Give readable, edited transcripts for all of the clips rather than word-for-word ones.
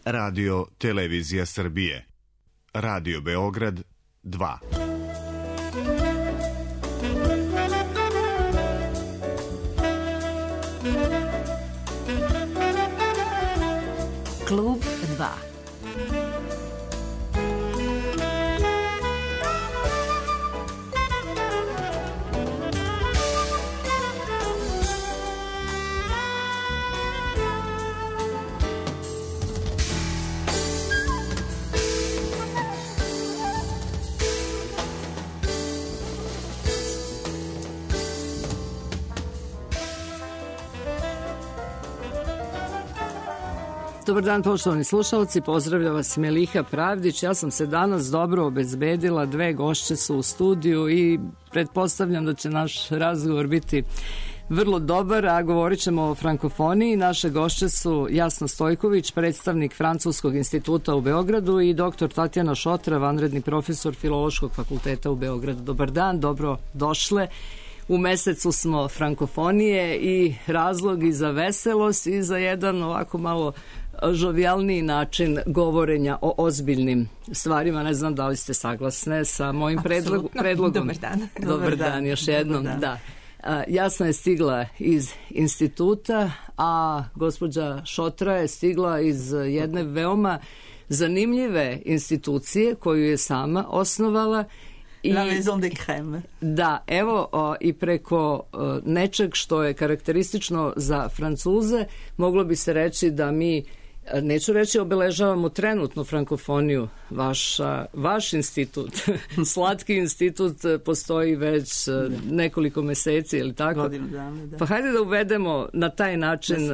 Radio Televizija Srbije. Radio Beograd 2. Klub 2. Dobar dan, poštovani slušalci, pozdravlja vas Meliha Pravdić. Ja sam se danas dobro obezbedila, dve gošće su u studiju i pretpostavljam da će naš razgovor biti vrlo dobar, a govorit ćemo o frankofoniji. Naše gošće su Jasna Stojković, predstavnik Francuskog instituta u Beogradu, i dr. Tatjana Šotra, vanredni profesor Filološkog fakulteta u Beogradu. Dobar dan, dobro došle. U mesecu smo frankofonije i razlog i za veselost i za jedan ovako malo žovijalniji način govorenja o ozbiljnim stvarima. Ne znam da li ste saglasne sa mojim predlogom. Dobar dan. Dobar dan još jednom. Da. Jasna je stigla iz instituta, a gospođa Šotra je stigla iz jedne veoma zanimljive institucije koju je sama osnovala. La Maison de Crème. Da, evo, i preko nečeg što je karakteristično za Francuze, moglo bi se reći da mi, neću reći obeležavamo trenutnu frankofoniju. Vaš institut, Slatki institut, postoji već nekoliko meseci, ili tako? Godinu dana, da. Pa hajde da uvedemo na taj način,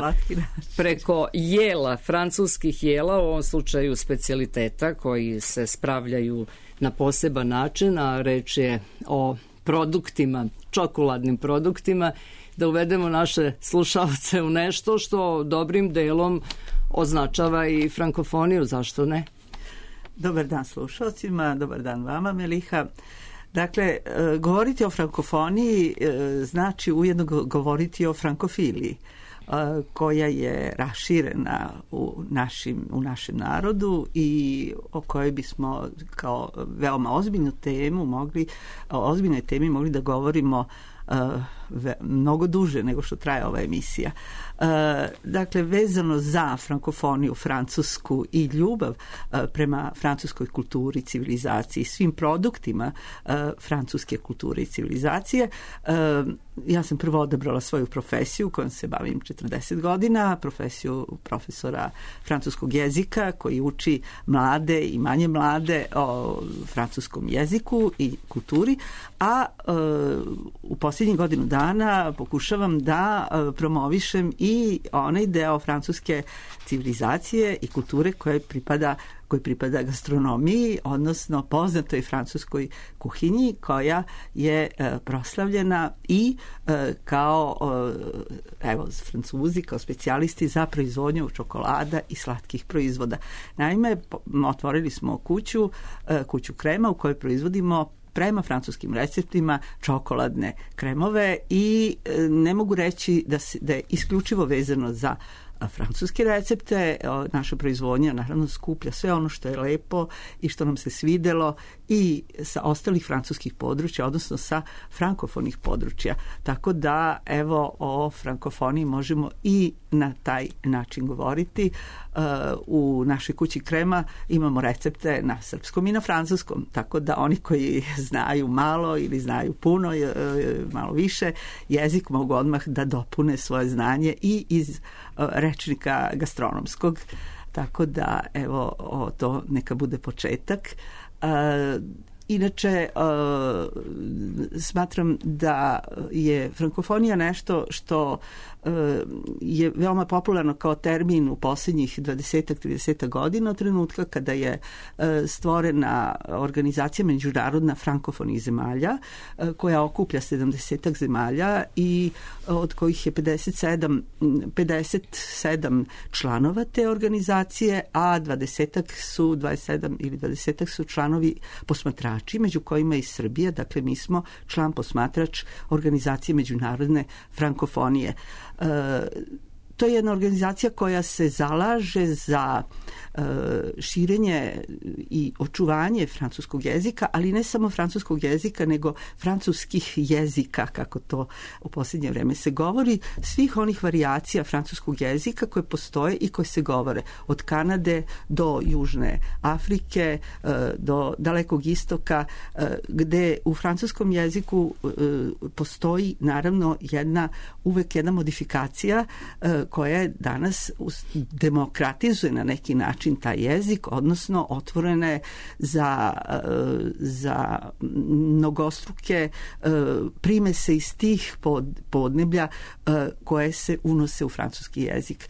preko jela, francuskih jela, u ovom slučaju specijaliteta koji se spravljaju na poseban način, a reč je o produktima, čokoladnim produktima, da uvedemo naše slušalce u nešto što dobrim delom označava i frankofoniju, zašto ne? Dobar dan slušalcima, dobar dan vama, Meliha. Dakle, govoriti o frankofoniji znači ujedno govoriti o frankofiliji, koja je raširena u našem narodu i o kojoj bismo kao veoma ozbiljnoj temi mogli da govorimo mnogo duže nego što traje ova emisija. Dakle, vezano za frankofoniju francusku i ljubav prema francuskoj kulturi, civilizaciji, svim produktima francuske kulture i civilizacije, ja sam prvo odabrala svoju profesiju kojom se bavim 40 godina, profesiju profesora francuskog jezika koji uči mlade i manje mlade o francuskom jeziku i kulturi, a u posljednjih godinu dana pokušavam da promovišem i onaj deo francuske civilizacije i kulture koji pripada gastronomiji, odnosno poznatoj francuskoj kuhinji koja je proslavljena i kao Francuzi, kao specijalisti za proizvodnju čokolada i slatkih proizvoda. Naime, otvorili smo kuću krema u kojoj proizvodimo prema francuskim receptima čokoladne kremove i ne mogu reći da je isključivo vezano za francuske recepte. Naša proizvodnja naravno skuplja sve ono što je lepo i što nam se svidelo i sa ostalih francuskih područja, odnosno sa frankofonih područja. Tako da, evo, o frankofoniji možemo i na taj način govoriti. U našoj kući krema imamo recepte na srpskom i na francuskom, tako da oni koji znaju malo ili znaju puno, malo više jezik, mogu odmah da dopune svoje znanje i iz rečnika gastronomskog. Tako da, evo, to neka bude početak. Inače, smatram da je frankofonija nešto što je veoma popularno kao termin u posljednjih 20-30 godina, od trenutka kada je stvorena organizacija međunarodna frankofonih zemalja koja okuplja 70 zemalja i od kojih je 57 članova te organizacije, a 27 su članovi posmatrači, među kojima i Srbija. Dakle, mi smo član posmatrač organizacije međunarodne frankofonije. To je jedna organizacija koja se zalaže za širenje i očuvanje francuskog jezika, ali ne samo francuskog jezika, nego francuskih jezika, kako to u posljednje vreme se govori, svih onih varijacija francuskog jezika koje postoje i koje se govore od Kanade do Južne Afrike, do Dalekog istoka, gde u francuskom jeziku postoji naravno uvek jedna modifikacija koja je danas demokratizuje na neki način taj jezik, odnosno otvorena je za mnogostruke primese iz tih podneblja koje se unose u francuski jezik.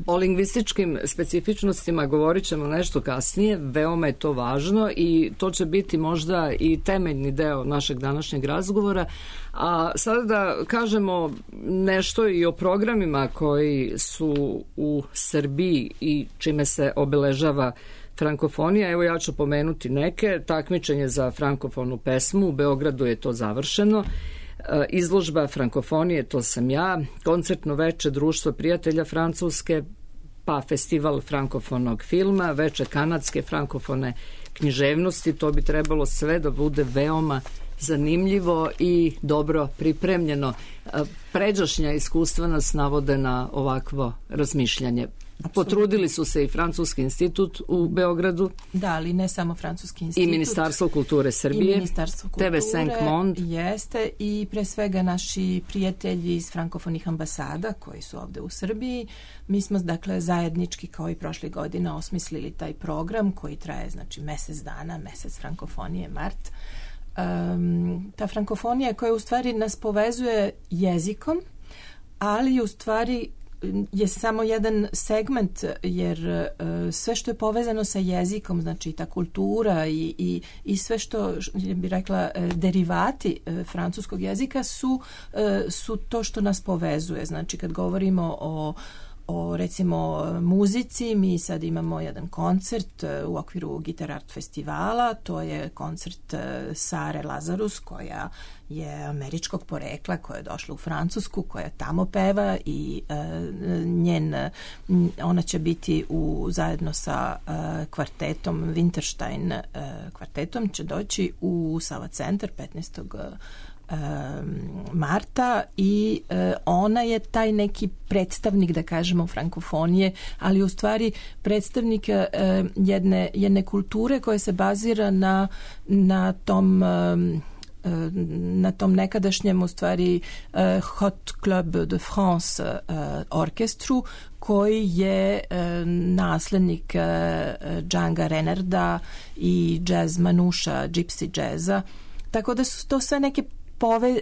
O lingvističkim specifičnostima govorit ćemo nešto kasnije, veoma je to važno i to će biti možda i temeljni deo našeg današnjeg razgovora. A sada da kažemo nešto i o programima koji su u Srbiji i čime se obeležava frankofonija. Evo ja ću pomenuti neke. Takmičenje za frankofonu pesmu, u Beogradu je to završeno. Izložba frankofonije, to sam ja. Koncertno veče Društva prijatelja Francuske, pa festival frankofonog filma, veče kanadske frankofone književnosti. To bi trebalo sve da bude veoma zanimljivo i dobro pripremljeno. Pređašnja iskustva nas navode na ovakvo razmišljanje. Potrudili su se i Francuski institut u Beogradu. Da, ali ne samo Francuski institut. I Ministarstvo kulture Srbije. I Ministarstvo kulture. TV5 Monde. Jeste i pre svega naši prijatelji iz frankofonih ambasada koji su ovde u Srbiji. Mi smo dakle zajednički kao i prošle godine osmislili taj program koji traje znači mesec dana, mesec frankofonije, mart. Ta frankofonija koja u stvari nas povezuje jezikom, ali u stvari je samo jedan segment, jer sve što je povezano sa jezikom, znači ta kultura i sve što bi rekla derivati francuskog jezika su to što nas povezuje. Znači kad govorimo o recimo muzici, mi sad imamo jedan koncert u okviru Guitar Art festivala, to je koncert Sare Lazarus koja je američkog porekla, koja je došla u Francusku, koja tamo peva i ona će biti zajedno sa kvartetom Winterstein kvartetom će doći u Sava centar 15. marta i ona je taj neki predstavnik, da kažemo, frankofonije, ali u stvari predstavnik jedne kulture koja se bazira na tom nekadašnjem u stvari Hot Club de France orkestru koji je naslednik Django Reinharda i jazz manuša, gypsy jazza. Tako da su to sve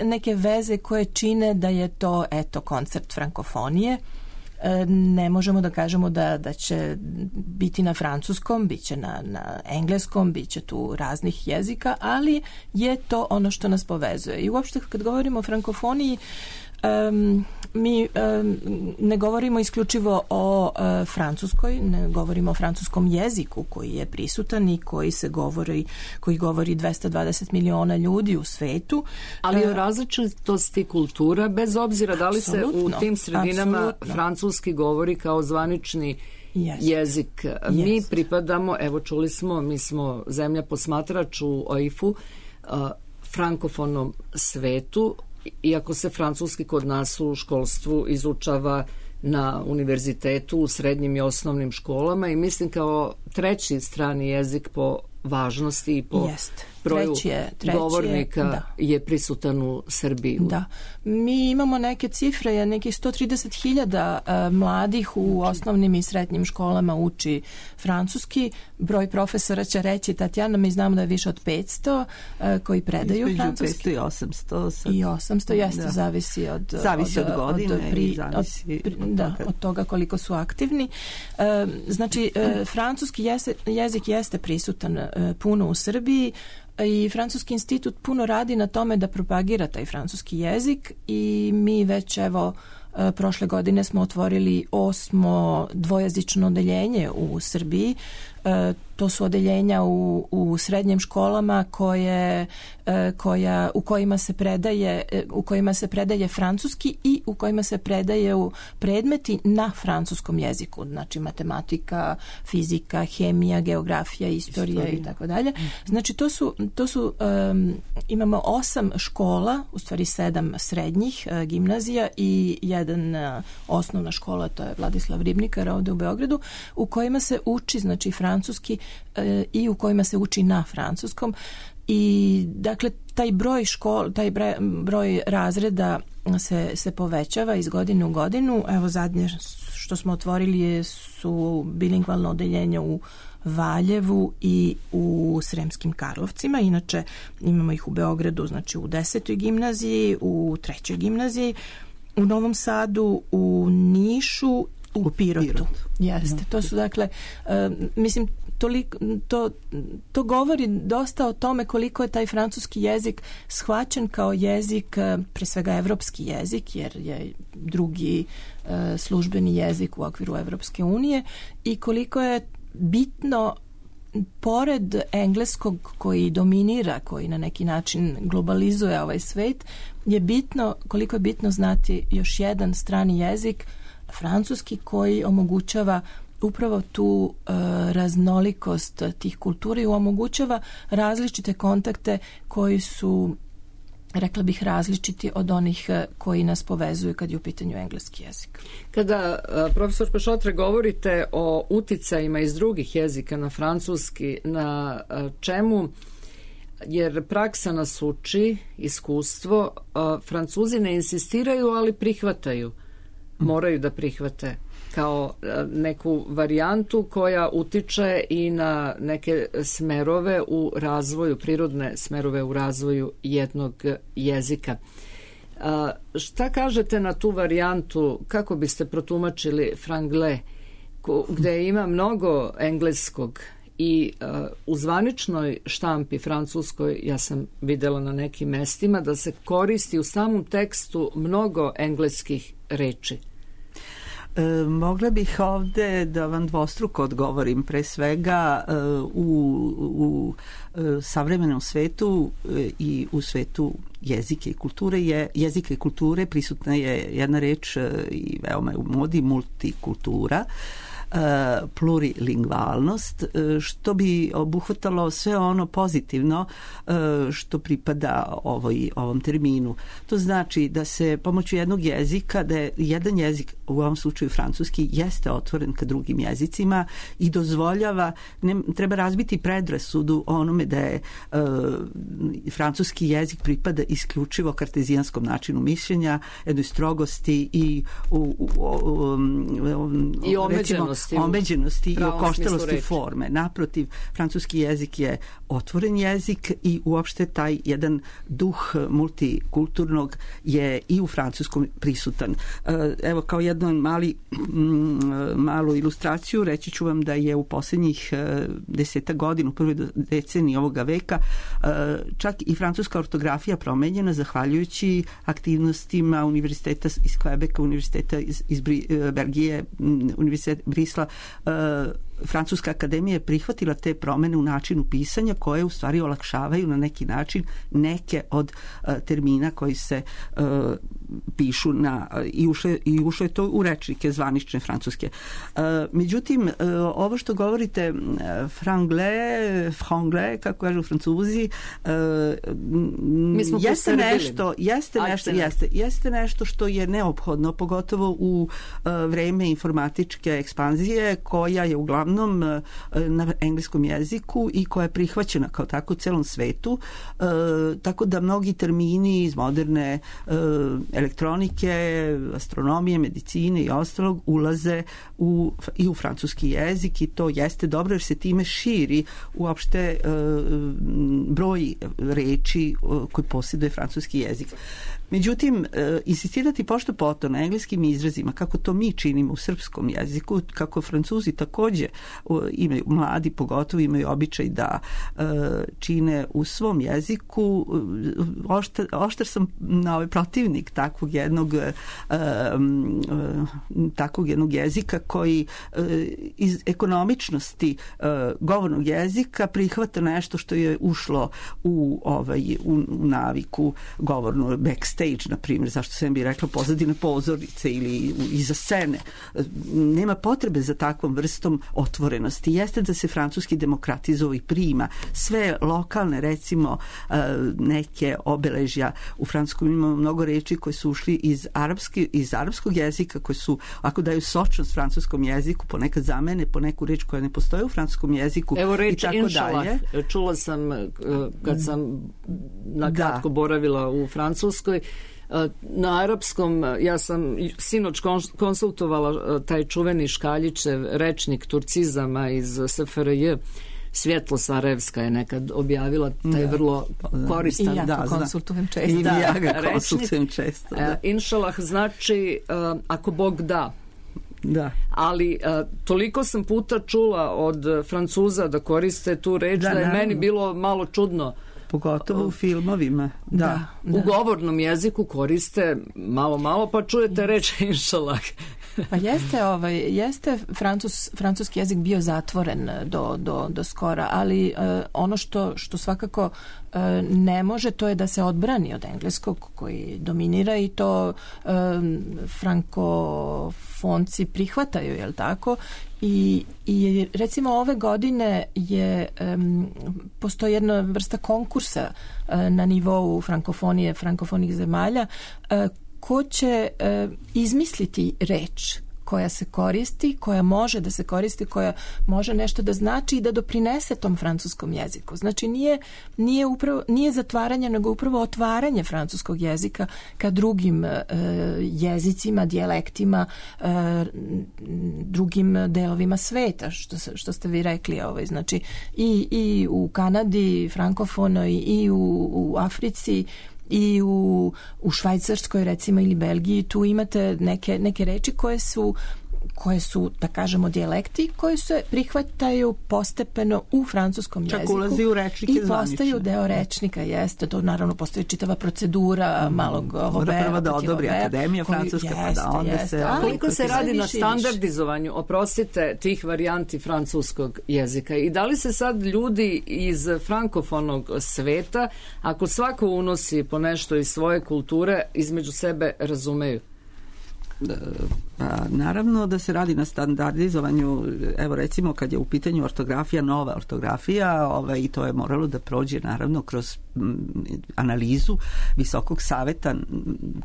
neke veze koje čine da je to koncert frankofonije. Ne možemo da kažemo da će biti na francuskom, bit će na engleskom, bit će tu raznih jezika, ali je to ono što nas povezuje. I uopšte kad govorimo o frankofoniji, mi ne govorimo isključivo o francuskoj, ne govorimo o francuskom jeziku koji je prisutan i koji govori 220 miliona ljudi u svetu. Ali o različitosti kultura, bez obzira da li se u tim sredinama francuski govori kao zvanični jezik. Mi pripadamo, evo čuli smo, mi smo zemlja posmatrač u OIF-u, frankofonom svetu, iako se francuski kod nas u školstvu izučava na univerzitetu, u srednjim i osnovnim školama i mislim kao treći strani jezik po važnosti i po broju govornika je prisutan u Srbiji. Da. Mi imamo neke cifre, nekih 130.000 mladih u osnovnim i srednjim školama uči francuski. Broj profesora će reći, Tatjana, mi znamo da je više od 500 koji predaju francuski. 500 i 800. Sad. I 800, jeste, zavisi od godine od toga koliko su aktivni. Znači, francuski jezik jeste prisutan puno u Srbiji i Francuski institut puno radi na tome da propagira taj francuski jezik i mi već prošle godine smo otvorili 8. dvojezično odeljenje u Srbiji. to su odeljenja u srednjim školama u kojima se predaje francuski i u kojima se predaju predmeti na francuskom jeziku, znači matematika, fizika, hemija, geografija, istorija i tako dalje. Znači to su imamo 8 škola, u stvari 7 srednjih gimnazija i jedan osnovna škola, to je Vladislav Ribnikar ovde u Beogradu, u kojima se uči znači francuski i u kojima se uči na francuskom. I dakle taj broj razreda se povećava iz godine u godinu. Evo zadnje što smo otvorili su bilingvalno odeljenje u Valjevu i u Sremskim Karlovcima. Inače imamo ih u Beogradu, znači u 10. gimnaziji, u 3. gimnaziji, u Novom Sadu, u Nišu, u Pirotu. Jeste. To su dakle, mislim, to govori dosta o tome koliko je taj francuski jezik shvaćen kao jezik, pre svega evropski jezik, jer je drugi službeni jezik u okviru Evropske unije, i koliko je bitno, pored engleskog koji dominira, koji na neki način globalizuje ovaj svet, koliko je bitno znati još jedan strani jezik, francuski, koji omogućava upravo tu raznolikost tih kultura i omogućava različite kontakte koji su, rekla bih, različiti od onih koji nas povezuju kad je u pitanju engleski jezik. Kada, profesor Pešotre, govorite o uticajima iz drugih jezika na francuski, na čemu, jer praksa nas uči, iskustvo, Francuzi ne insistiraju, ali prihvataju, moraju da prihvate kao neku varijantu koja utiče i na neke smerove u razvoju, prirodne smerove u razvoju jednog jezika. Šta kažete na tu varijantu, kako biste protumačili franglais, gde ima mnogo engleskog i u zvaničnoj štampi francuskoj, ja sam videla na nekim mestima da se koristi u samom tekstu mnogo engleskih reči? Mogla bih ovde da vam dvostruko odgovorim. Pre svega u savremenom svetu i u svetu jezike i kulture prisutna je jedna reč i veoma je u modi, multikultura, plurilingvalnost, što bi obuhvatalo sve ono pozitivno što pripada ovom terminu. To znači da se pomoću jednog jezika, da je jedan jezik, u ovom slučaju francuski, jeste otvoren ka drugim jezicima i dozvoljava, treba razbiti predrasudu onome da je francuski jezik pripada isključivo kartezijanskom načinu mišljenja, jednoj strogosti i omeđenosti i okoštelosti forme. Naprotiv, francuski jezik je otvoren jezik i uopšte taj jedan duh multikulturnog je i u francuskom prisutan. Evo, kao jednu malu ilustraciju reći ću vam da je u posljednjih 10 godina, u prvoj deceniji ovoga veka, čak i francuska ortografija promenjena zahvaljujući aktivnostima univerziteta iz Quebeca, univerziteta iz Belgije, univerzitet Brisla. Francuska akademija je prihvatila te promene u načinu pisanja koje u stvari olakšavaju na neki način neke od termina koji se pišu i ušlo je to u rečnike zvanične francuske. Međutim, ovo što govorite franglais, kako kažu Francuzi, jeste nešto što je neophodno, pogotovo u vreme informatičke ekspanzije koja je uglavnom na engleskom jeziku i koja je prihvaćena kao tako u celom svetu, tako da mnogi termini iz moderne elektronike, astronomije, medicine i ostalog ulaze i u francuski jezik i to jeste dobro jer se time širi uopšte broj reči koji posjeduje francuski jezik. Međutim, insistirati pošto poto na engleskim izrazima, kako to mi činimo u srpskom jeziku, kako Francuzi takođe imaju, mladi pogotovo imaju običaj da čine u svom jeziku. Oštar sam protivnik takvog jednog jezika koji iz ekonomičnosti govornog jezika prihvata nešto što je ušlo u naviku govornu, backstage, na primjer, zašto sam bi rekla pozadine pozornice ili iza scene. Nema potrebe za takvom vrstom otvorenosti. Jeste da se francuski demokratizuje i prima sve lokalne, recimo, neke obeležja. U francuskom imamo mnogo reči koje su ušli iz arapskog jezika, koje su, ako daju sočnost francuskom jeziku, ponekad zamene po neku reč koja ne postoji u francuskom jeziku. Evo reč inšalah. Čula sam kad sam nakratko boravila u Francuskoj. Na arapskom, ja sam sinoć konsultovala taj čuveni Škaljićev rečnik turcizama iz SFRJ. Svjetlo Sarajevska je nekad objavila taj vrlo koristan. I ja to konsultujem često. I ja ga konsultujem često. Inšalah znači ako Bog da. Da. Ali toliko sam puta čula od Francuza da koriste tu reč da je meni bilo malo čudno. Pogotovo u filmovima. Da. U govornom jeziku koriste malo pa čujete reč inšalah. Pa jeste francuski jezik bio zatvoren do skora, ali ono što svakako ne može, to je da se odbrani od engleskog koji dominira i to frankofonci prihvataju, je li tako? I recimo ove godine postoji jedna vrsta konkursa na nivou frankofonih zemalja ko će izmisliti reč koja se koristi, koja može da se koristi, koja može nešto da znači i da doprinese tom francuskom jeziku. Znači nije zatvaranje, nego upravo otvaranje francuskog jezika ka drugim jezicima, dijalektima, drugim delovima sveta, što ste vi rekli. Znači i u Kanadi frankofonoj, i u Africi, i u Švajcarskoj recimo ili Belgiji, tu imate neke reči koje su, da kažemo, dijalekti koji se prihvataju postepeno u francuskom jeziku. Čak ulazi u rečnike zvanične. I postaju deo rečnika, jeste. To naravno postoji čitava procedura malog Mora prvo da odobri Akademija francuska, pa da onda se... Koliko se radi na standardizovanju, oprostite, tih varijanti francuskog jezika? I da li se sad ljudi iz frankofonog sveta, ako svako unosi po nešto iz svoje kulture, između sebe razumeju? Naravno da se radi na standardizovanju. Evo recimo kad je u pitanju ortografija, nova ortografija, i to je moralo da prođe naravno kroz analizu Visokog saveta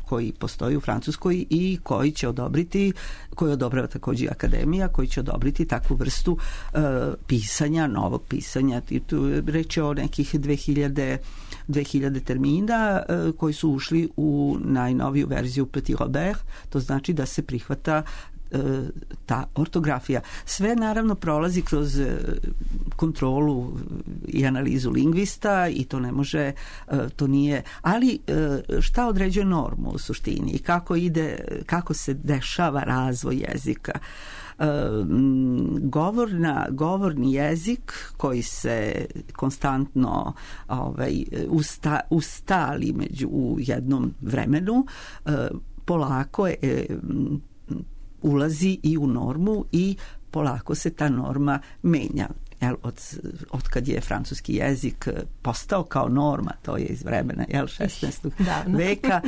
koji postoji u Francuskoj i koji će odobriti, koji odobrava takođe Akademija, koji će odobriti takvu vrstu pisanja, novog pisanja. Tu reč je o nekih 2000 termina koji su ušli u najnoviju verziju Petit Robert. To znači da se prihvata ta ortografija. Sve naravno prolazi kroz kontrolu i analizu lingvista i to ne može, to nije, ali šta određuje normu u suštini i kako se dešava razvoj jezika? Govorni jezik koji se konstantno ustali u jednom vremenu polako ulazi i u normu i polako se ta norma menja. Od kad je francuski jezik postao kao norma, to je iz vremena 16. veka,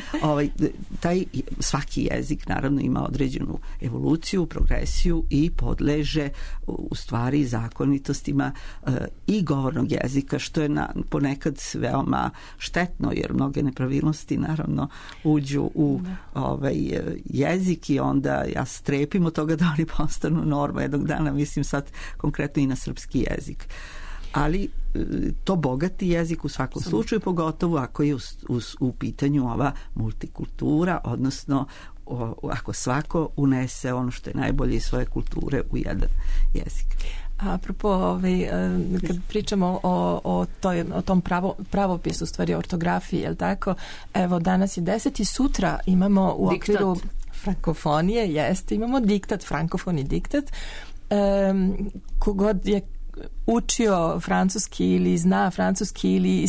taj svaki jezik naravno ima određenu evoluciju, progresiju i podleže u stvari zakonitostima i govornog jezika, što je ponekad veoma štetno, jer mnoge nepravilnosti naravno uđu u jezik i onda ja strepim od toga da oni postanu norma jednog dana, mislim sad konkretno i na srpski jezik. Ali to bogati jezik u svakom slučaju, pogotovo ako je u pitanju ova multikultura, odnosno ako svako unese ono što je najbolje iz svoje kulture u jedan jezik. Apropo, kad pričamo o tom pravopisu, u stvari ortografiji, je li tako? Evo, danas je 10 i sutra imamo u okviru frankofonije jeste, imamo diktat, frankofoni diktat. Kogod je učio francuski ili zna francuski ili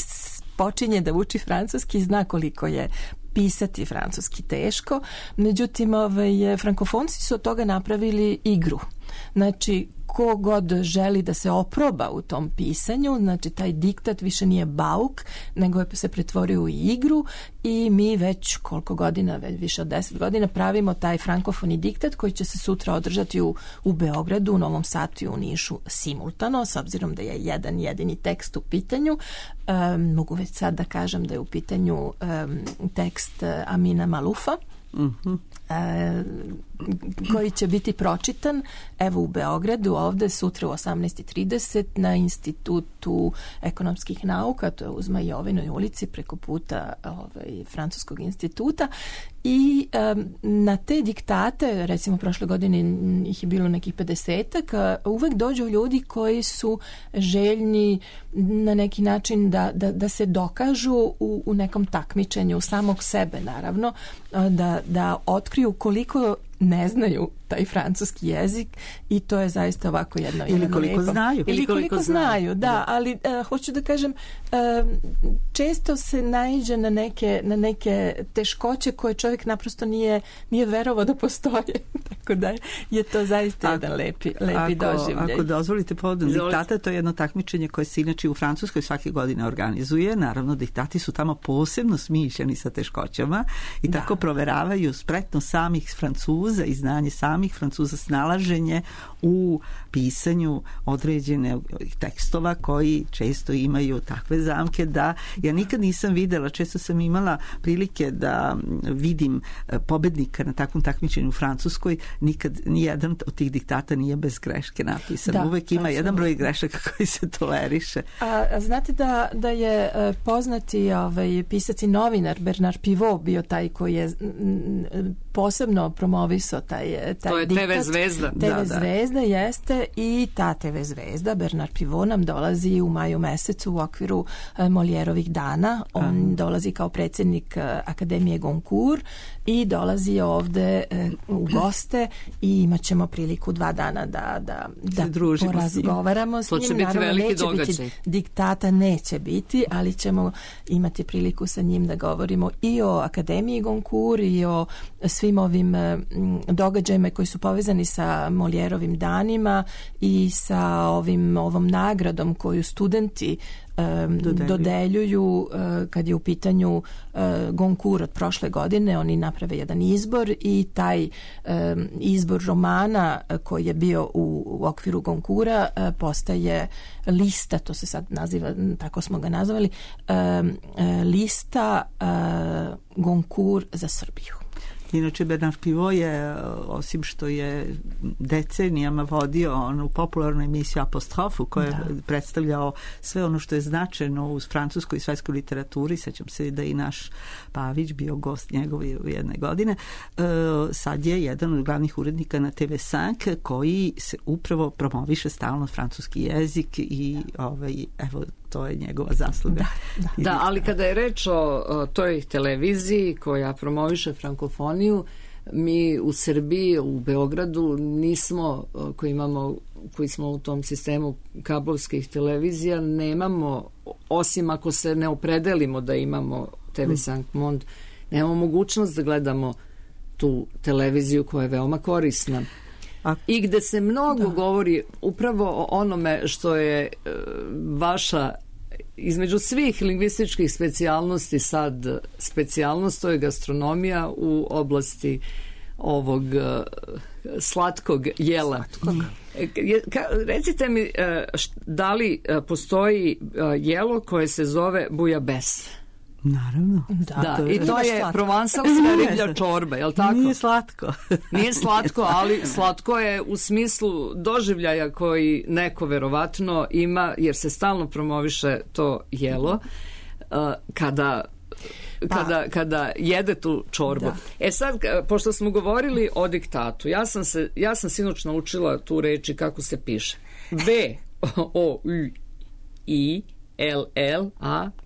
počinje da uči francuski, zna koliko je pisati francuski teško. Međutim, frankofonci su od toga napravili igru. Znači, ko god želi da se oproba u tom pisanju, znači taj diktat više nije bauk, nego je se pretvorio u igru i mi već koliko godina, već više od 10 godina pravimo taj frankofoni diktat koji će se sutra održati u Beogradu, u Novom Sadu i u Nišu simultano, s obzirom da je jedan jedini tekst u pitanju. Mogu već sad da kažem da je u pitanju tekst Amina Malufa, koji će biti pročitan evo u Beogradu ovde sutra u 18:30 na Institutu ekonomskih nauka, to je u Zmajovinoj ulici preko puta Francuskog instituta. I na te diktate, recimo prošle godine ih je bilo nekih 50-ak, uvek dođu ljudi koji su željni na neki način da se dokažu u nekom takmičenju samog sebe, naravno, da otkriju koliko ne znaju taj francuski jezik i to je zaista ovako jedno ili koliko lepo. Znaju. Ili koliko znaju, da, ali hoću da kažem, često se naiđe na neke teškoće koje čovjek naprosto nije verovao da postoje. Tako da je to zaista jedan lepi doživljaj. Ako dozvolite povodom diktata, to je jedno takmičenje koje se inače u Francuskoj svake godine organizuje. Naravno, diktati su tamo posebno smišljeni sa teškoćama i tako proveravaju spretnost samih Francuza i znanje samih Francuza, snalaženje u pisanju određene tekstova koji često imaju takve zamke da ja nikad nisam videla, često sam imala prilike da vidim pobednika na takvom takmičenju u Francuskoj, nikad nijedan od tih diktata nije bez greške napisan. Uvek ima jedan broj grešaka koji se toleriše. A znate da je poznati pisac i novinar Bernard Pivot bio taj koji je posebno promovisao taj to je diktat. TV zvezda. TV zvezda jeste i ta TV zvezda Bernard Pivot nam dolazi u maju mesecu u okviru Molièrovih dana. On dolazi kao predsjednik Akademije Goncourt i dolazi ovde u goste i imat ćemo priliku 2 dana da porazgovaramo s njim. To će biti veliki događaj. Diktata neće biti, ali ćemo imati priliku sa njim da govorimo i o Akademiji Goncourt i o svim ovim događajima koji su povezani sa Molièrovim danima i sa ovom nagradom koju studenti dodeljuju kad je u pitanju Goncourt od prošle godine. Oni naprave jedan izbor i taj izbor romana koji je bio u okviru Goncourta postaje lista, to se sad naziva, tako smo ga nazvali, lista Goncourt za Srbiju. Inače, Bernard Pivot je, osim što je decenijama vodio onu popularnu emisiju Apostrofu, koja je predstavljao sve ono što je značajno u francuskoj i svetskoj literaturi. Sećam se da i naš Pavić bio gost njegov u jedne godine. Sad je jedan od glavnih urednika na TV5 koji se upravo promoviše stalno francuski jezik i evo, to je njegova zasluga. Da, ali kada je reč o toj televiziji koja promoviše frankofoniju, mi u Srbiji, u Beogradu nismo, koji smo u tom sistemu kablovskih televizija, nemamo, osim ako se ne opredelimo da imamo TV5 Monde, nemamo mogućnost da gledamo tu televiziju koja je veoma korisna. I gde se mnogo govori upravo o onome što je vaša, između svih lingvističkih specijalnosti sad specijalnost, to je gastronomija u oblasti ovog slatkog jela. Recite mi, da li postoji jelo koje se zove bujabes? Naravno. Da, i to je provansalska riblja čorba, je li tako? Nije slatko. Nije slatko, ali slatko je u smislu doživljaja koji neko verovatno ima, jer se stalno promoviše to jelo kada jede tu čorbu. Da. Sad, pošto smo govorili o diktatu, ja sam sinoć naučila tu reči kako se piše. V-O-U-I L-L-A-B-A-I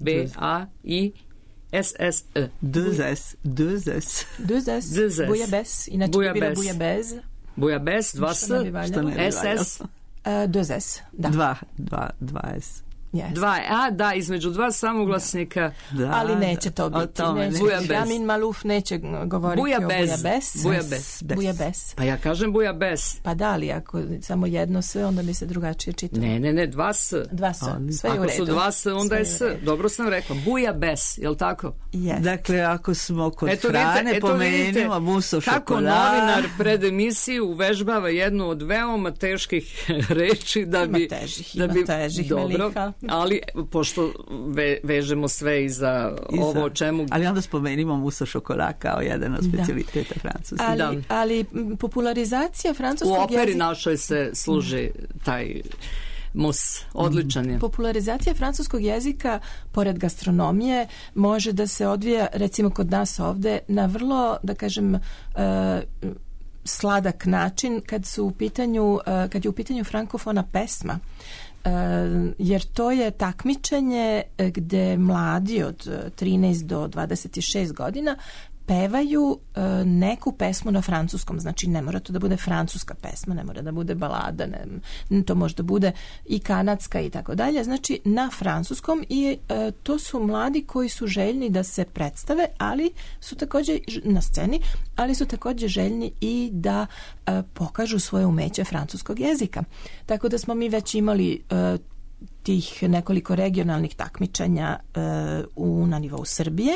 S-S-E. Deux S. Bouillabaisse. Inače bi bilo bouillabaisse. Bouillabaisse, 2 S. SS. Deux S. Da. Dva S. Yes. Da, između dva samoglasnika. Da, ali neće to biti. Ramin Maluf neće govoriti o bouillabaisse. Pa ja kažem bouillabaisse. Pa da, ali ako samo jedno S, onda bi se drugačije čitalo. Ne, 2 S. 2 S, sve je u redu. Ako su 2 S, onda je S. Dobro sam rekla. Bouillabaisse, je li tako? Yes. Dakle, ako smo kod hrane, pomenimo muso šokolad. Kako novinar pred emisiju uvežbava jednu od veoma teških reči da bi... Ima težih, dobro, Meliha. ali pošto vežemo sve i za ovo o čemu... Ali onda spomenimo muso šokolad kao jedan od specialiteta Francuske. Ali popularizacija francuskog jezika... U operi našoj se služi taj mus. Odličan je. Popularizacija francuskog jezika, pored gastronomije, može da se odvija, recimo kod nas ovde, na vrlo, da kažem... sladak način kad je u pitanju frankofona pesma. Jer to je takmičenje gde mladi od 13 do 26 godina pevaju neku pesmu na francuskom. Znači ne mora to da bude francuska pesma, ne mora da bude balada, to može da bude i kanadska i tako dalje. Znači na francuskom i to su mladi koji su željni da se predstave, ali su također na sceni, ali su također željni i da pokažu svoje umeće francuskog jezika. Tako da smo mi već imali tih nekoliko regionalnih takmičenja na nivou Srbije,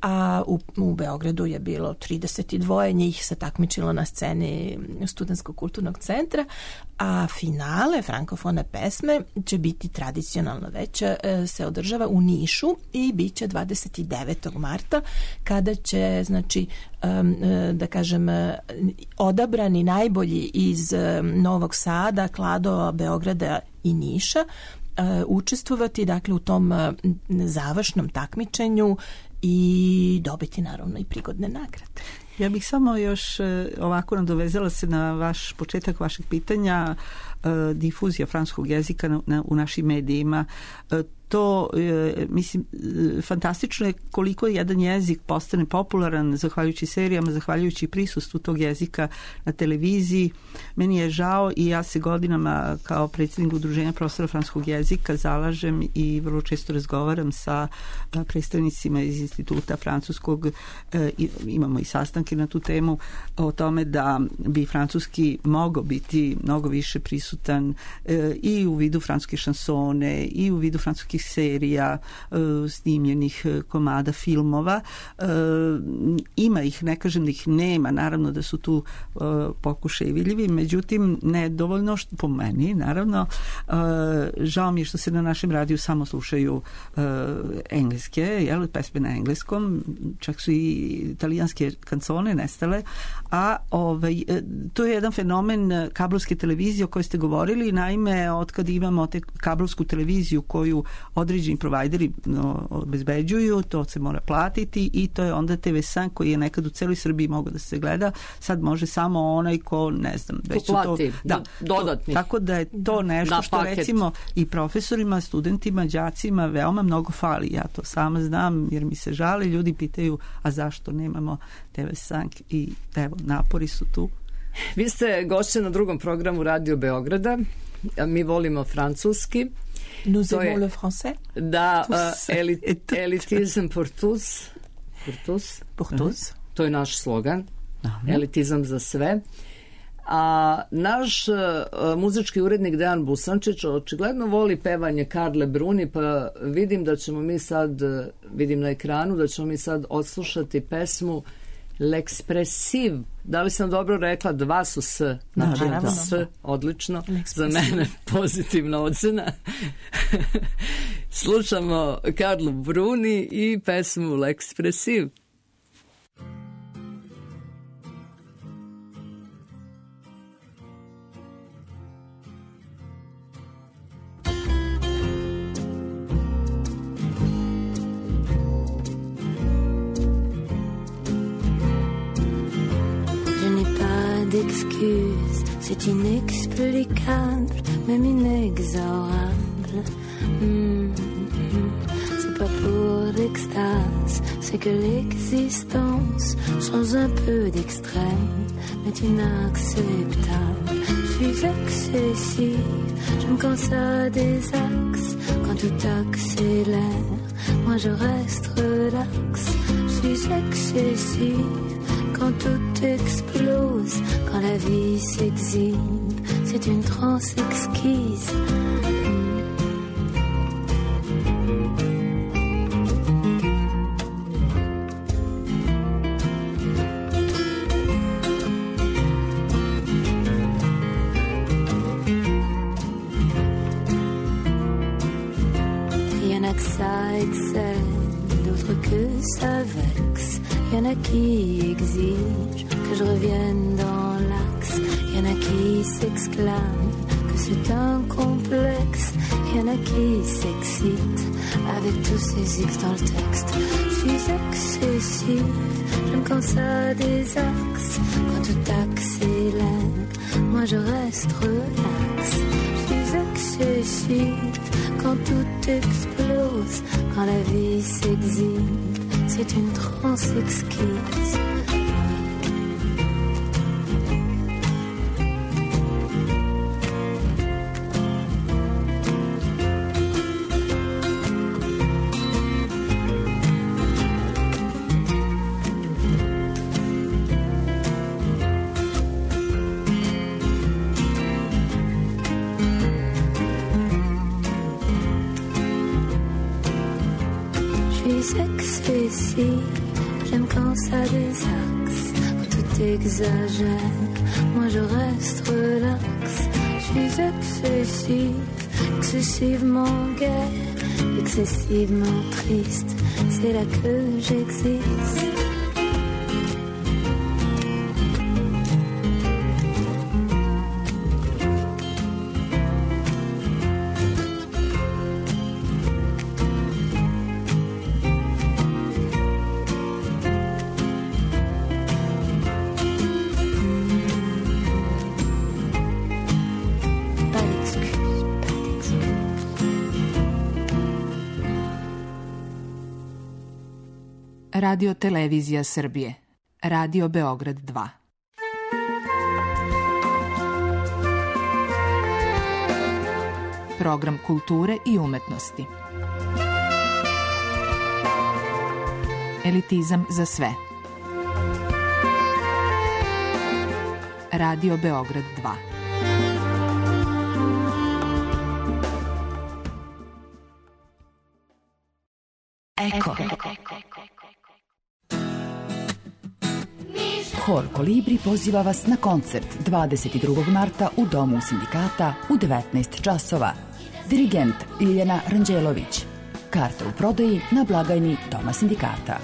a u Beogradu je bilo 32 njih se takmičilo na sceni Studentskog kulturnog centra, a finale frankofone pesme će biti tradicionalno već se održava u Nišu i bit će 29. marta kada će, znači, da kažem, odabrani najbolji iz Novog Sada, Kladova, Beograda i Niša učestvovati, dakle, u tom završnom takmičenju i dobiti naravno i prigodne nagrade. Ja bih samo još ovako nadovezala se na početak vašeg pitanja, difuzija francuskog jezika u našim medijima. To, mislim, fantastično je koliko jedan jezik postane popularan zahvaljujući serijama, zahvaljujući prisustvu tog jezika na televiziji. Meni je žao i ja se godinama kao predsjednik Udruženja profesora francuskog jezika zalažem i vrlo često razgovaram sa predstavnicima iz Instituta francuskog. Imamo i sastanke na tu temu o tome da bi francuski mogao biti mnogo više prisutan i u vidu francuske šansone i u vidu francuskih serija, snimljenih komada, filmova. Ima ih, ne kažem da ih nema, naravno da su tu pokušaji vidljivi, međutim nedovoljno, po meni, naravno. Žao mi je što se na našem radiju samo slušaju engleske, pesme na engleskom, čak su i italijanske kancone nestale, a to je jedan fenomen kablovske televizije o kojoj ste govorili. Naime, otkad imamo kablovsku televiziju koju određeni provajderi obezbeđuju, to se mora platiti i to je onda TV5 koji je nekad u celoj Srbiji mogao da se gleda, sad može samo onaj ko, ne znam, već plati, dodatni. Tako da je to nešto što recimo i profesorima, studentima, đacima veoma mnogo fali. Ja to sama znam jer mi se žali, ljudi pitaju, a zašto nemamo TV5 i evo, napori su tu. Vi ste gošće na drugom programu Radio Beograda, mi volimo francuski. Nous aimons le français. Da, elitizam pour tous. Pour tous. To je naš slogan. Elitizam za sve. A naš muzički urednik Dejan Busančić očigledno voli pevanje Karle Bruni, pa vidim da ćemo mi sad, vidim na ekranu, da ćemo mi sad odslušati pesmu L'Expressive. Da li sam dobro rekla? 2 su S. Znači S, odlično. Za mene pozitivna ocena. Slušamo Karlu Bruni i pesmu L'Expressive. D'excuses, c'est inexplicable, même inexorable. C'est pas pour extases, c'est que l'existence change un peu d'extrême, mais inacceptable. Je suis excessive, je me canse à des axes, quand tout accélère, moi je reste relax. Je suis excessive, quand tout explose, quand la vie s'exhibe, c'est une transe exquise. Ça excelle, d'autres que ça vexe. Y'en a qui exigent que je revienne dans l'axe. Y'en a qui s'exclament que c'est un complexe. Y'en a qui s'excitent avec tous ces X dans le texte. Je suis excessive, je me canse à des axes. Quand tout accélère, moi je reste relax. Je suis excessive, quand tout explose, quand la vie s'exhibe, c'est une transe exquise. J'aime quand ça désaxe, quand tout exagère, moi je reste relax. Je suis excessive, excessivement gaie, excessivement triste, c'est là que j'existe. Radio Televizija Srbije. Radio Beograd 2. Program kulture i umetnosti. Elitizam za sve. Radio Beograd 2. Eko. Hor Kolibri poziva vas na koncert 22. marta u Domu sindikata u 19 časova. Dirigent Ljiljana Ranđelović. Karte u prodaji na blagajni Doma sindikata.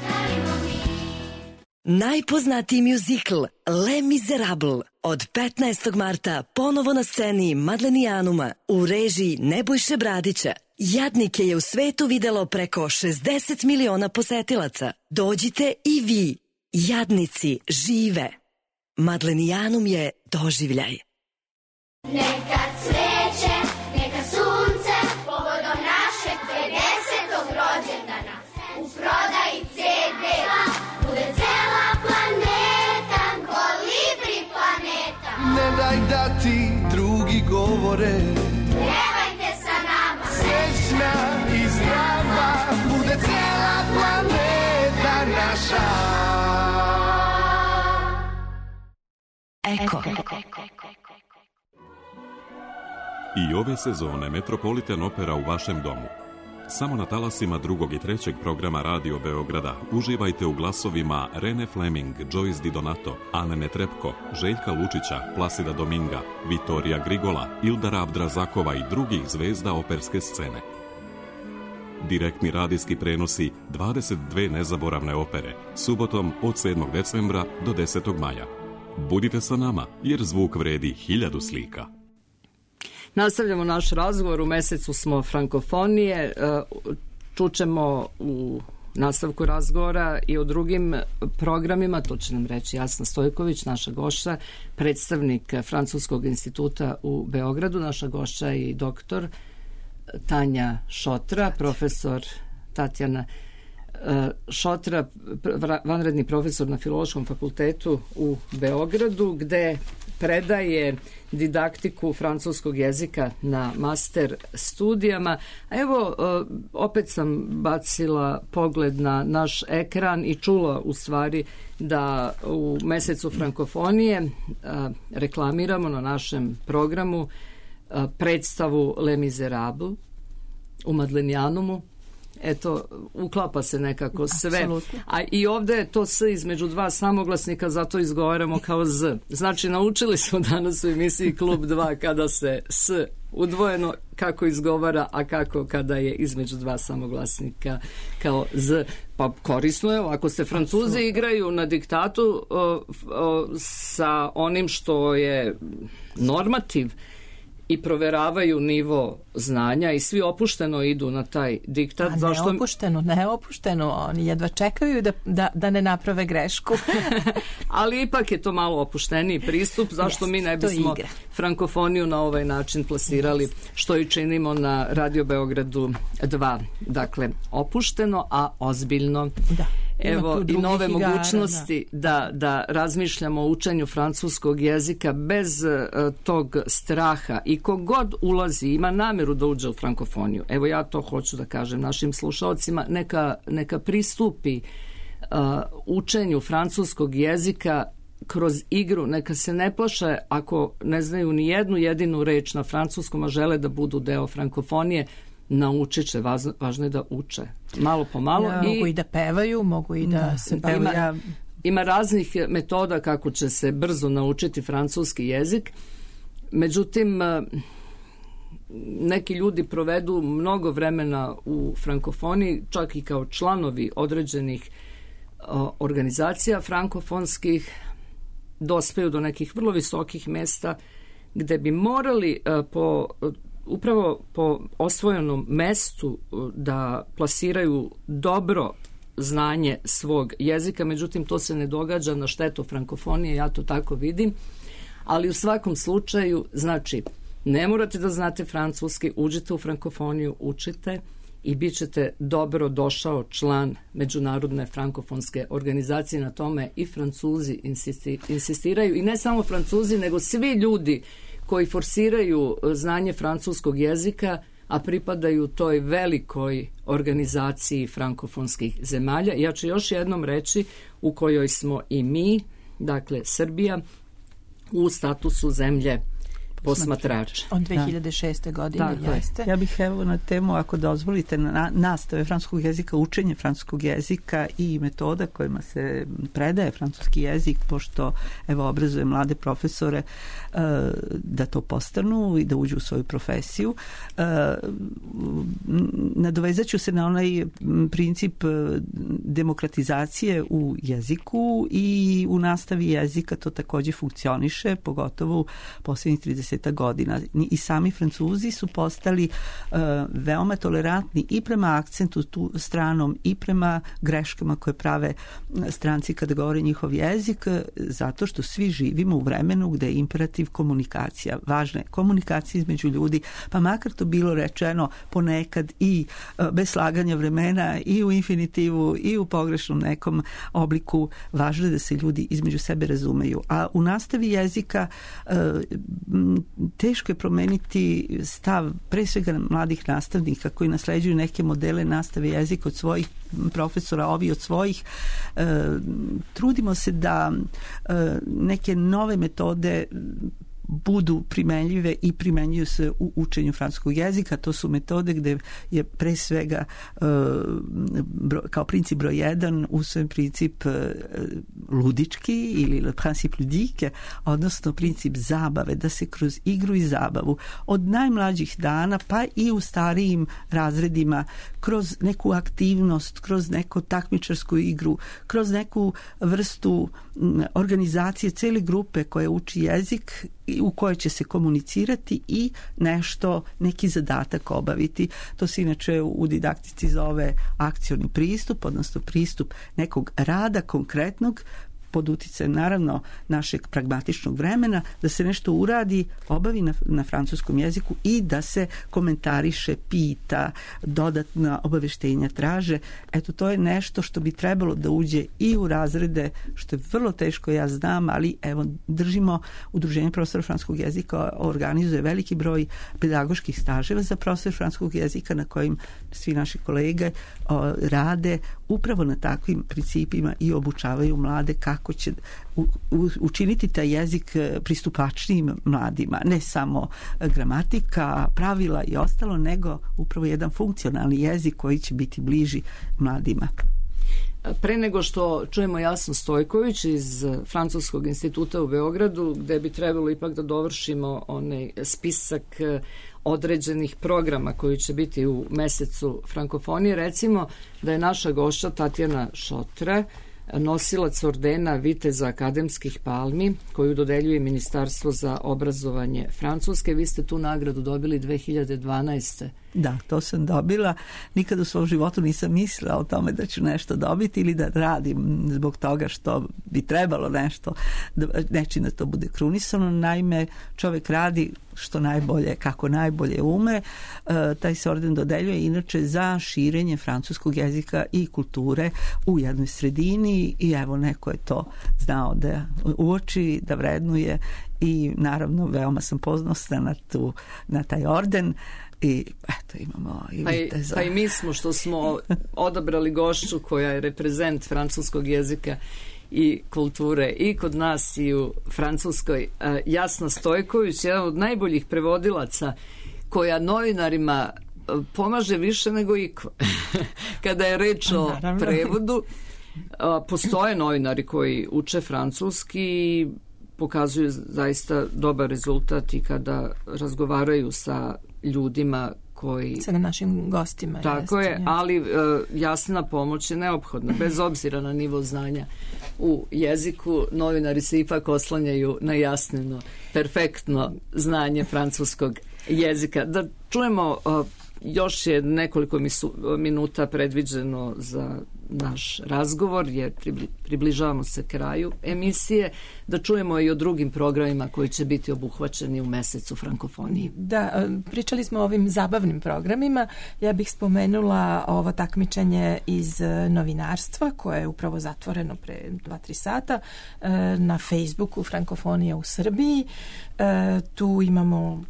Najpoznatiji mjuzikl Les Miserables od 15. marta ponovo na sceni Madlenijanuma u režiji Nebojše Bradića. Jadnike je u svetu videlo preko 60 miliona posetilaca. Dođite i vi. Jadnici žive. Madlenijanum je doživljaj. Neka cveće, neka sunce, povodom našeg 50. rođendana. U prodaji CD-a bude cela planeta, Kolibri planeta. Ne daj da ti drugi govore, pjevajte sa nama. Srećna i zdrava bude cela planeta naša. Eko. I ove sezone Metropolitan Opera u vašem domu. Samo na talasima drugog i trećeg programa Radio Beograda uživajte u glasovima Rene Fleming, Joyce Di Donato, Ane Netrepko, Željka Lučića, Plasida Dominga, Vitorija Grigola, Ildara Abdrazakova i drugih zvezda operske scene. Direktni radijski prenosi 22 nezaboravne opere, subotom od 7. decembra do 10. maja. Budite sa nama, jer zvuk vredi 1000 slika. Nastavljamo naš razgovor, u mesecu smo frankofonije, čućemo u nastavku razgovora i o drugim programima, to će nam reći Jasna Stojković, naša gošća, predstavnik Francuskog instituta u Beogradu, naša gošća i doktor Tanja Šotra, profesor Tatjana Šotra, vanredni profesor na Filološkom fakultetu u Beogradu, gde predaje didaktiku francuskog jezika na master studijama. Evo, opet sam bacila pogled na naš ekran i čula u stvari da u mesecu frankofonije reklamiramo na našem programu predstavu Les Miserables u Madlenijanumu. Eto, uklapa se nekako sve. Absolutno. A i ovde je to S između dva samoglasnika, zato izgovaramo kao Z. Znači, naučili smo danas u emisiji Klub 2 kada se S udvojeno kako izgovara, a kako kada je između dva samoglasnika kao Z. Pa korisno je, ako se Francuzi igraju na diktatu sa onim što je normativ i proveravaju nivo znanja i svi opušteno idu na taj diktat. Ne opušteno, oni jedva čekaju da ne naprave grešku. Ali ipak je to malo opušteniji pristup, zašto mi ne bismo frankofoniju na ovaj način plasirali, što i činimo na Radio Beogradu 2. Dakle, opušteno, a ozbiljno. Da. Evo i nove mogućnosti da razmišljamo o učenju francuskog jezika bez tog straha, i kogod ulazi ima nameru da uđe u frankofoniju. Evo, ja to hoću da kažem našim slušalcima, neka pristupi učenju francuskog jezika kroz igru, neka se ne plaše ako ne znaju ni jednu jedinu reč na francuskom, a žele da budu deo frankofonije. Naučit će, važno je da uče malo po malo. Mogu i da pevaju, mogu i da se bavlja. Ima raznih metoda kako će se brzo naučiti francuski jezik. Međutim, neki ljudi provedu mnogo vremena u frankofoniji, čak i kao članovi određenih organizacija frankofonskih, dospeju do nekih vrlo visokih mesta gde bi morali upravo po osvojenom mestu da plasiraju dobro znanje svog jezika, međutim to se ne događa na štetu frankofonije, ja to tako vidim, ali u svakom slučaju, znači, ne morate da znate francuski, uđite u frankofoniju, učite i bit ćete dobro došao član Međunarodne frankofonske organizacije. Na tome i Francuzi insistiraju, i ne samo Francuzi, nego svi ljudi koji forsiraju znanje francuskog jezika, a pripadaju toj velikoj organizaciji frankofonskih zemalja. Ja ću još jednom reći u kojoj smo i mi, dakle Srbija, u statusu zemlje posmatrača. Od 2006. godine jeste. Ja bih evo na temu, ako dozvolite, nastave francuskog jezika, učenje francuskog jezika i metoda kojima se predaje francuski jezik, pošto evo obrazuje mlade profesore da to postanu i da uđu u svoju profesiju. Nadovezat ću se na onaj princip demokratizacije u jeziku i u nastavi jezika to takođe funkcioniše, pogotovo u posljednjih 30 godina. I sami Francuzi su postali veoma tolerantni i prema akcentu tu stranom i prema greškama koje prave stranci kada govore njihov jezik, zato što svi živimo u vremenu gde je imperativ komunikacija. Važna je komunikacija između ljudi, pa makar to bilo rečeno ponekad i bez slaganja vremena i u infinitivu i u pogrešnom nekom obliku. Važno je da se ljudi između sebe razumeju. A u nastavi jezika teško je promeniti stav pre svega mladih nastavnika koji nasleđuju neke modele nastave jezika od svojih profesora, ovi od svojih. Trudimo se da neke nove metode budu primenljive i primenjuju se u učenju francuskog jezika. To su metode gde je pre svega kao princip broj 1 usvojen princip ludički ili le principe ludique, odnosno princip zabave, da se kroz igru i zabavu od najmlađih dana pa i u starijim razredima kroz neku aktivnost, kroz neku takmičarsku igru, kroz neku vrstu organizacije cele grupe koja uči jezik u kojoj će se komunicirati i neki zadatak obaviti. To se inače u didaktici zove akcioni pristup, odnosno pristup nekog rada konkretnog pod uticajem naravno našeg pragmatičnog vremena, da se nešto uradi, obavi na francuskom jeziku i da se komentariše, pita, dodatna obaveštenja traže. Eto, to je nešto što bi trebalo da uđe i u razrede, što je vrlo teško, ja znam, ali evo, držimo, Udruženje profesora francuskog jezika organizuje veliki broj pedagoških staževa za profesor francuskog jezika na kojim svi naši kolege rade upravo na takvim principima i obučavaju mlade kako će učiniti taj jezik pristupačnijim mladima. Ne samo gramatika, pravila i ostalo, nego upravo jedan funkcionalni jezik koji će biti bliži mladima. Pre nego što čujemo Jasnu Stojković iz Francuskog instituta u Beogradu, gde bi trebalo ipak da dovršimo onaj spisak određenih programa koji će biti u mesecu frankofonije, recimo da je naša gošća Tatjana Šotre, nosilac ordena Viteza akademskih palmi, koju dodeljuje Ministarstvo za obrazovanje Francuske. Vi ste tu nagradu dobili 2012. Da, to sam dobila. Nikad u svom životu nisam mislila o tome da ću nešto dobiti ili da radim zbog toga što bi trebalo nešto, nečim da to bude krunisano. Naime, čovjek radi što najbolje, kako najbolje ume. Taj se orden dodeljuje inače za širenje francuskog jezika i kulture u jednoj sredini i evo, neko je to znao da uoči, da vrednuje i naravno veoma sam ponosna na taj orden. I eto, imamo i Viteza. Pa i mi smo što smo odabrali gošću koja je reprezent francuskog jezika i kulture i kod nas i u Francuskoj. Jasna Stojković, jedan od najboljih prevodilaca, koja novinarima pomaže više nego iko. Kada je reč o prevodu, postoje novinari koji uče francuski i pokazuju zaista dobar rezultat i kada razgovaraju sa ljudima koji... Sa našim gostima. Tako je, ali jasna pomoć je neophodna, bez obzira na nivo znanja u jeziku. Novinari se ipak oslanjaju na jasneno, perfektno znanje francuskog jezika. Da čujemo, još je nekoliko minuta predviđeno za naš razgovor, jer približavamo se kraju emisije, da čujemo i o drugim programima koji će biti obuhvaćeni u mesecu frankofoniji. Da, pričali smo o ovim zabavnim programima. Ja bih spomenula ovo takmičenje iz novinarstva koje je upravo zatvoreno pre 2-3 sata na Facebooku Frankofonija u Srbiji. Tu imamo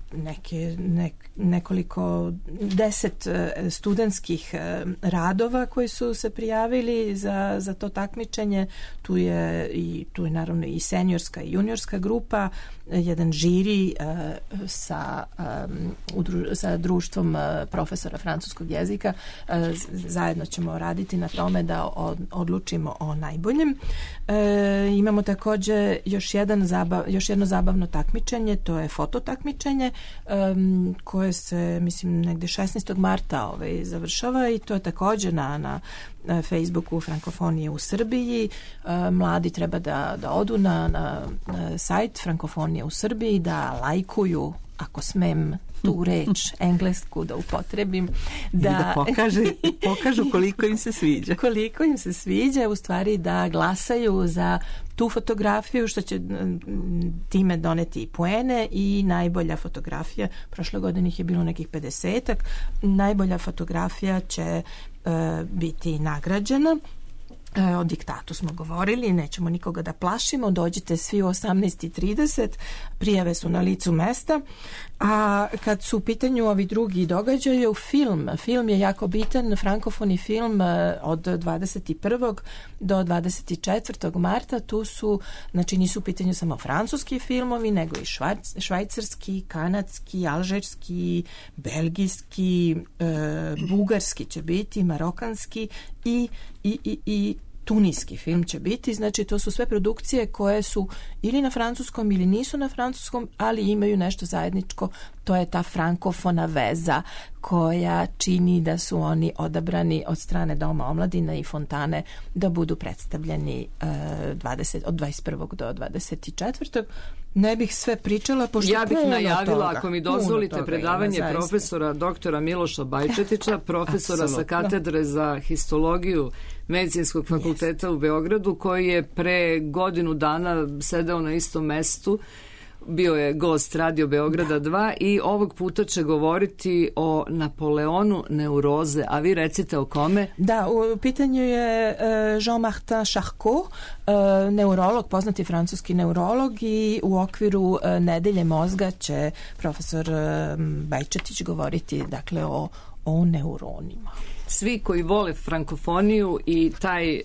nekoliko 10 studentskih radova koji su se prijavili za to takmičenje. Tu je naravno i seniorska i juniorska grupa, jedan žiri sa društvom profesora francuskog jezika. Zajedno ćemo raditi na tome da odlučimo o najboljem. Imamo također još jedno zabavno takmičenje, to je fototakmičenje koje se, mislim, negde 16. marta završava i to je također na Facebooku Frankofonije u Srbiji. Mladi treba da odu na sajt Frankofonije u Srbiji, da lajkuju, ako smem tu reč englesku da upotrebim, da pokažu koliko im se sviđa. Koliko im se sviđa, u stvari da glasaju za tu fotografiju, što će time doneti i poene, i najbolja fotografija, prošle godine ih je bilo nekih 50-ak, najbolja fotografija će biti nagrađena. O diktatu smo govorili, nećemo nikoga da plašimo, dođite svi u 18:30, prijave su na licu mesta. A kad su u pitanju ovi drugi događaji, film je jako bitan, frankofoni film od 21. do 24. marta, tu su, znači nisu u pitanju samo francuski filmovi, nego i švajcarski, kanadski, alžirski, belgijski, bugarski će biti, marokanski i tunijski film će biti. Znači to su sve produkcije koje su ili na francuskom ili nisu na francuskom, ali imaju nešto zajedničko, to je ta frankofona veza koja čini da su oni odabrani od strane Doma omladine i Fontane da budu predstavljeni od 21. do 24. Ne bih sve pričala, pošto ja bih najavila, toga, ako mi dozvolite, predavanje profesora doktora Miloša Bajčetića, profesora sa katedre za histologiju Medicinskog fakulteta u Beogradu, koji je pre godinu dana sedeo na istom mestu. Bio je gost Radio Beograda 2 i ovog puta će govoriti o Napoleonu neuroze, a vi recite o kome? Da, u pitanju je Jean-Martin Charcot, neurolog, poznati francuski neurolog, i u okviru Nedelje mozga će profesor Bajčetić govoriti, dakle, o neuronima. Svi koji vole frankofoniju i taj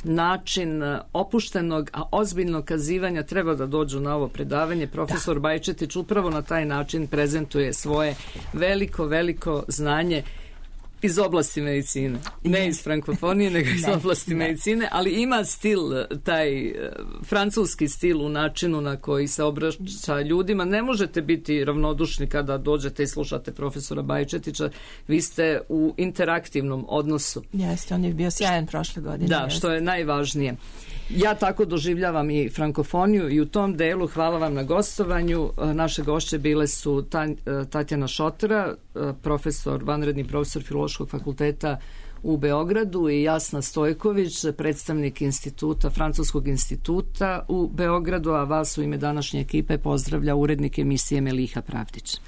način opuštenog, a ozbiljnog kazivanja treba da dođu na ovo predavanje. Profesor Bajčetić upravo na taj način prezentuje svoje veliko znanje iz oblasti medicine. Ne iz frankofonije, nego iz oblasti medicine, ali ima stil, taj francuski stil u načinu na koji se obraća ljudima. Ne možete biti ravnodušni kada dođete i slušate profesora Bajčetića. Vi ste u interaktivnom odnosu. Jeste, on je bio sjajan prošle godine. Da, što je najvažnije. Ja tako doživljavam i frankofoniju i u tom delu hvala vam na gostovanju. Naše gošće bile su Tatjana Šotera, vanredni profesor Filološkog fakulteta u Beogradu, i Jasna Stojković, predstavnik Francuskog instituta u Beogradu, a vas u ime današnje ekipe pozdravlja urednik emisije Meliha Pravdić.